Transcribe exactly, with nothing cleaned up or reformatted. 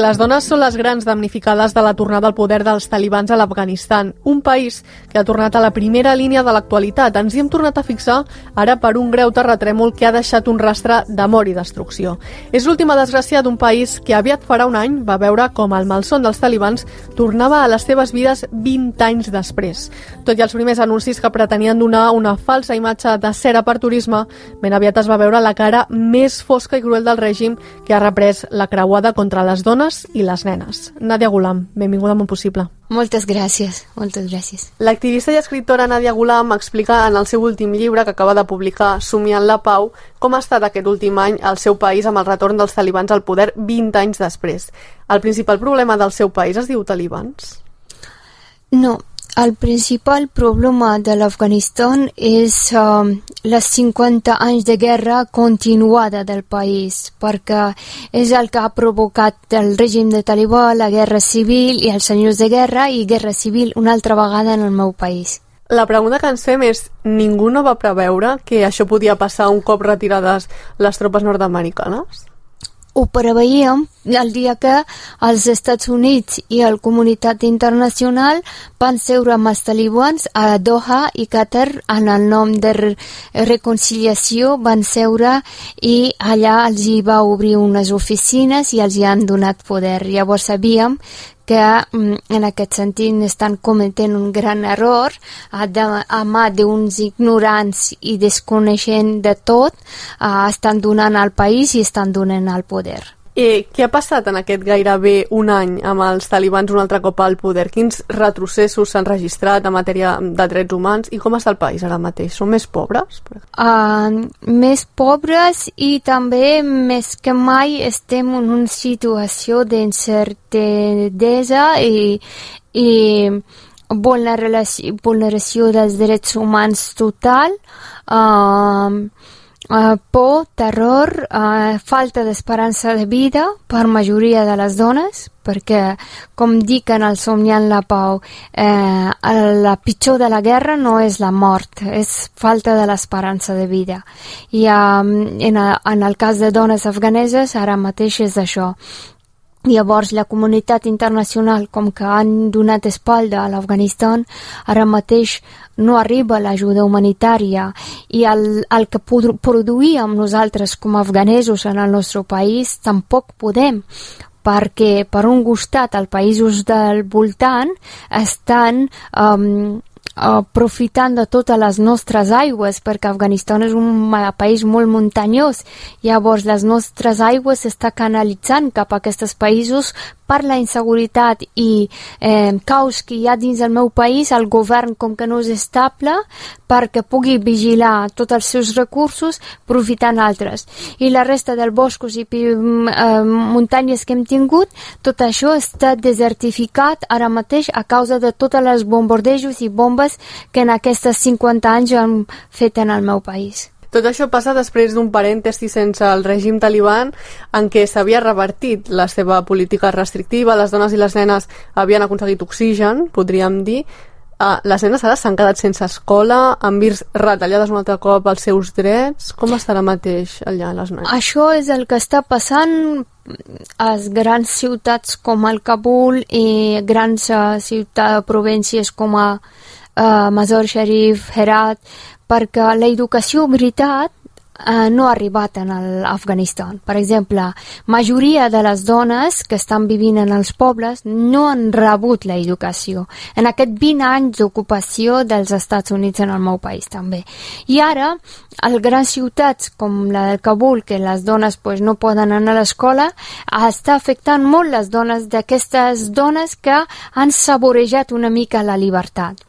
Les dones són les grans damnificades de la tornada al poder dels talibans a l'Afganistan, un país que ha tornat a la primera línia de l'actualitat. Ens hi hem tornat a fixar ara per un greu terratrèmol que ha deixat un rastre de mort i destrucció. És l'última desgràcia d'un país que aviat farà un any va veure com el malson dels talibans tornava a les seves vides vint anys després. Tot i els primers anuncis que pretenien donar una falsa imatge de cera per turisme, ben aviat es va veure la cara més fosca i cruel del règim que ha reprès la creuada contra les dones i les nenes. Nàdia Gulam, benvinguda a Món Possible. Moltes gràcies, moltes gràcies. L'activista i escriptora Nàdia Gulam explica en el seu últim llibre que acaba de publicar, Somiant la pau, com ha estat aquest últim any al seu país amb el retorn dels talibans al poder vint anys després. El principal problema del seu país es diu talibans? No, el principal problema de l'Afganistan és uh, les cinquanta anys de guerra continuada del país, perquè és el que ha provocat el règim de talibà, la guerra civil i els senyors de guerra i guerra civil una altra vegada en el meu país. La pregunta que ens fem és, ningú no va preveure que això podia passar un cop retirades les tropes nord-americanes? Ho preveiem el dia que els Estats Units i la comunitat internacional van seure amb els talibans a Doha i Qatar en el nom de reconciliació, van seure i allà els hi va obrir unes oficines i els hi han donat poder. Llavors sabíem que en aquest sentit estan cometent un gran error a, de, a mà d'uns ignorants i desconeixent de tot, uh, estan donant al país i estan donant al poder. I què ha passat en aquest gairebé un any amb els talibans un altre cop al poder? Quins retrocessos s'han registrat en matèria de drets humans i com està el país ara mateix? Són més pobres? Uh, més pobres i també més que mai estem en una situació d'incertesa i, i vulneració, vulneració dels drets humans total. Uh, Uh, por, terror, uh, falta d'esperança de vida per majoria de les dones, perquè, com dic en el Somiant la pau, eh, la pitjor de la guerra no és la mort, és falta de l'esperança de vida. I um, en, a, en el cas de dones afganeses ara mateix és això. Llavors, la comunitat internacional, com que han donat espalda a l'Afganistan, ara mateix no arriba l'ajuda humanitària i el, el que produïm nosaltres com a afganesos en el nostre país tampoc podem, perquè per un costat els països del voltant estan um, aprofitant de totes les nostres aigües, perquè Afganistan és un país molt muntanyós. Llavors les nostres aigües s'està canalitzant cap a aquests països per la inseguretat i eh, caos que hi ha dins del meu país. El govern, com que no és estable, perquè pugui vigilar tots els seus recursos profitant altres. I la resta dels boscos i eh, muntanyes que hem tingut, tot això està desertificat ara mateix a causa de tots els bombardejos i bombes que en aquests cinquanta anys han fet en el meu país. Tot això passa després d'un parèntesi sense el règim taliban en què s'havia revertit la seva política restrictiva, les dones i les nenes havien aconseguit oxigen, podríem dir. Uh, les nenes ara s'han quedat sense escola, han vist retallades un altre cop els seus drets. Com està ara mateix allà les nenes? Això és el que està passant a les grans ciutats com el Kabul i grans uh, ciutats, províncies com a uh, Mazar Sharif, Herat, perquè l'educació, veritat, eh, no ha arribat en l'Afganistan. Per exemple, majoria de les dones que estan vivint en els pobles no han rebut l'educació. En aquest vint anys d'ocupació dels Estats Units en el meu país també. I ara, a les grans ciutats com la del Kabul, que les dones pues, no poden anar a l'escola, està afectant molt les dones d'aquestes dones que han saborejat una mica la llibertat.